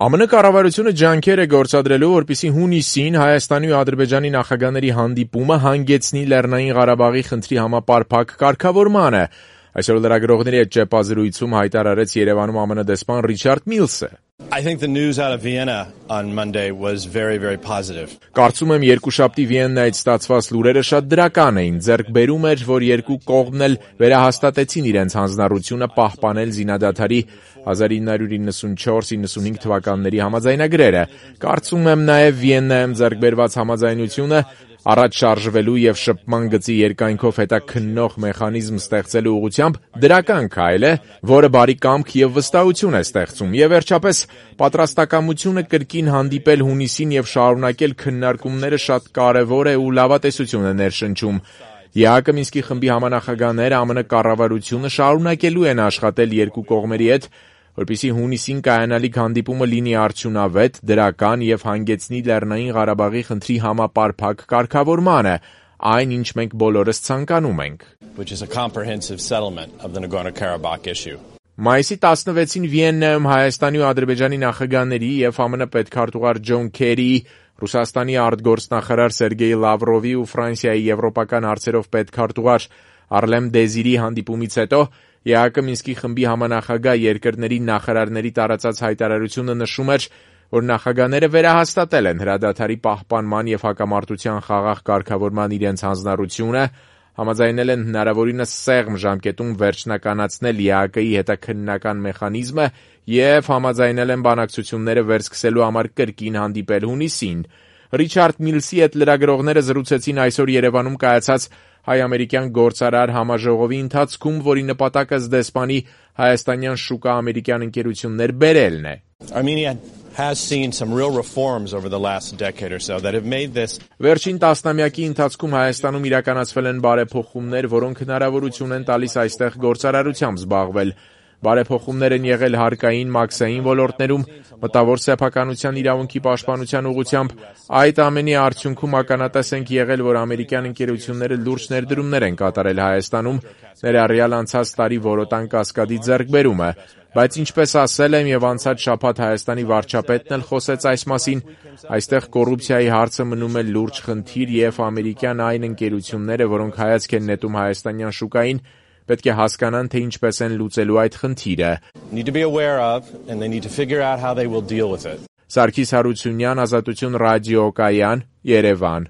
ԱՄՆ կառավարությունը ջանքեր է գործադրելու, որպեսզի հունիսին Հայաստանի ու Ադրբեջանի նախագահների հանդիպումը հանգեցնի Լեռնային Ղարաբաղի խնդրի համապարփակ կարգավորմանը։ Այսօր լրագրողների հետ ճեպազրույցում հայտարարեց Երևանում ԱՄՆ դեսպան Ռիչարդ Միլսը. I think the news out of Vienna on Monday was very, very positive. Կարծում եմ երկուշաբթի Վիեննայից ստացված լուրերը շատ դրական էին, ձեռք բերում էր, որ երկու կողմն էլ վերահաստատեցին իրենց հանձնառությունը պահպանել զինադադարի 1994-95 թվականների համաձայնագրերը։ Կարծում եմ նաև Վիեննայում ձեռք բերված համաձայնությունը առաջ շարժվելու եւ շփման գծի երկայնքով հետաքննող մեխանիզմ ստեղծելու ուղղությամբ դրական քայլ է, որը բարի կամք եւ վստահություն է ստեղծում։ Եվ վերջապես պատրաստակամությունը կրկին հանդիպել հունիսին եւ շարունակել քննարկումները շատ կարեւոր է ու լավատեսություն է ներշնչում։ ԵԱՀԿ Մինսկի խմբի համանախագահները ԱՄՆ կառավարությունը շարունակելու են աշխատել երկու կողմերի հետ, որպեսզի հունիսին կայանալիք հանդիպումը լինի արդյունավետ, դրական եւ հանգեցնի Լեռնային Ղարաբաղի խնդրի համապարփակ կարգավորմանը, այն ինչ մենք բոլորս ցանկանում ենք։ Which is a comprehensive settlement of the Nagorno-Karabakh issue. Մայիսի 16-ին Վիեննայում Հայաստանի ու Ադրբեջանի նախագահների եւ ԱՄՆ պետքարտուղար Ջոն Քերիի, Ռուսաստանի արտգործնախարար Սերգեյ Լավրովի ու Ֆրանսիայի եվրոպական հարցերով պետքարտուղար Արլեմ Դեզիրի հանդիպումից հետո ԵԱՀԿ Մինսկի խմբի համանախագահ երկրների նախարարների տարածած հայտարարությունը նշում էր, որ նախագահները վերահաստատել են հրադադարի պահպանման եւ հակամարտության խաղաղ կարգավորման իրենց հանձնառությունը, համաձայնել են հնարավորինս սեղմ ժամկետում վերջնականացնել ԵԱՀԿ-ի հետաքննական մեխանիզմը եւ համաձայնել են բանակցությունները վերսկսելու համար կրկին հանդիպել հունիսին։ Ռիչարդ Միլսի հետ լրագրողները զրուցեցին այսօր Երևանում կայացած հայ-ամերիկյան գործարար համաժողովի ընթացքում, որի նպատակը դեսպանի հայաստանյան շուկա ամերիկյան ընկերություններ բերելն է։ Armenia has seen some real reforms over the last decade or so that have made this. Վերջին տասնամյակի ընթացքում Հայաստանում իրականացվել են բարեփոխումներ, որոնք հնարավորություն են տալիս այստեղ գործարարությամբ զբաղվել։ Բարեփոխումներ են եղել հարկային, մաքսային ոլորտներում, մտավոր սեփականության իրավունքի պաշտպանության ուղղությամբ։ Այդ ամենի արդյունքում ականատես ենք եղել, որ ամերիկյան ընկերությունները լուրջ ներդրումներ են կատարել Հայաստանում, ներառյալ անցած տարի Որոտան կասկադի ձեռքբերումը։ Բայց ինչպես ասել եմ եւ անցած շաբաթ Հայաստանի վարչապետն էլ խոսեց այս մասին, այստեղ կոռուպցիայի հարցը մնում է լուրջ խնդիր եւ ամերիկյան այն ընկերությունները, որոնք հայացք են նետում հայաստանյան շուկային, պետք է հասկանան, թե ինչպես են լուծելու այդ խնդիրը։ Սարգիս Հարությունյան, Ազատություն ռադիոկայան, Երևան։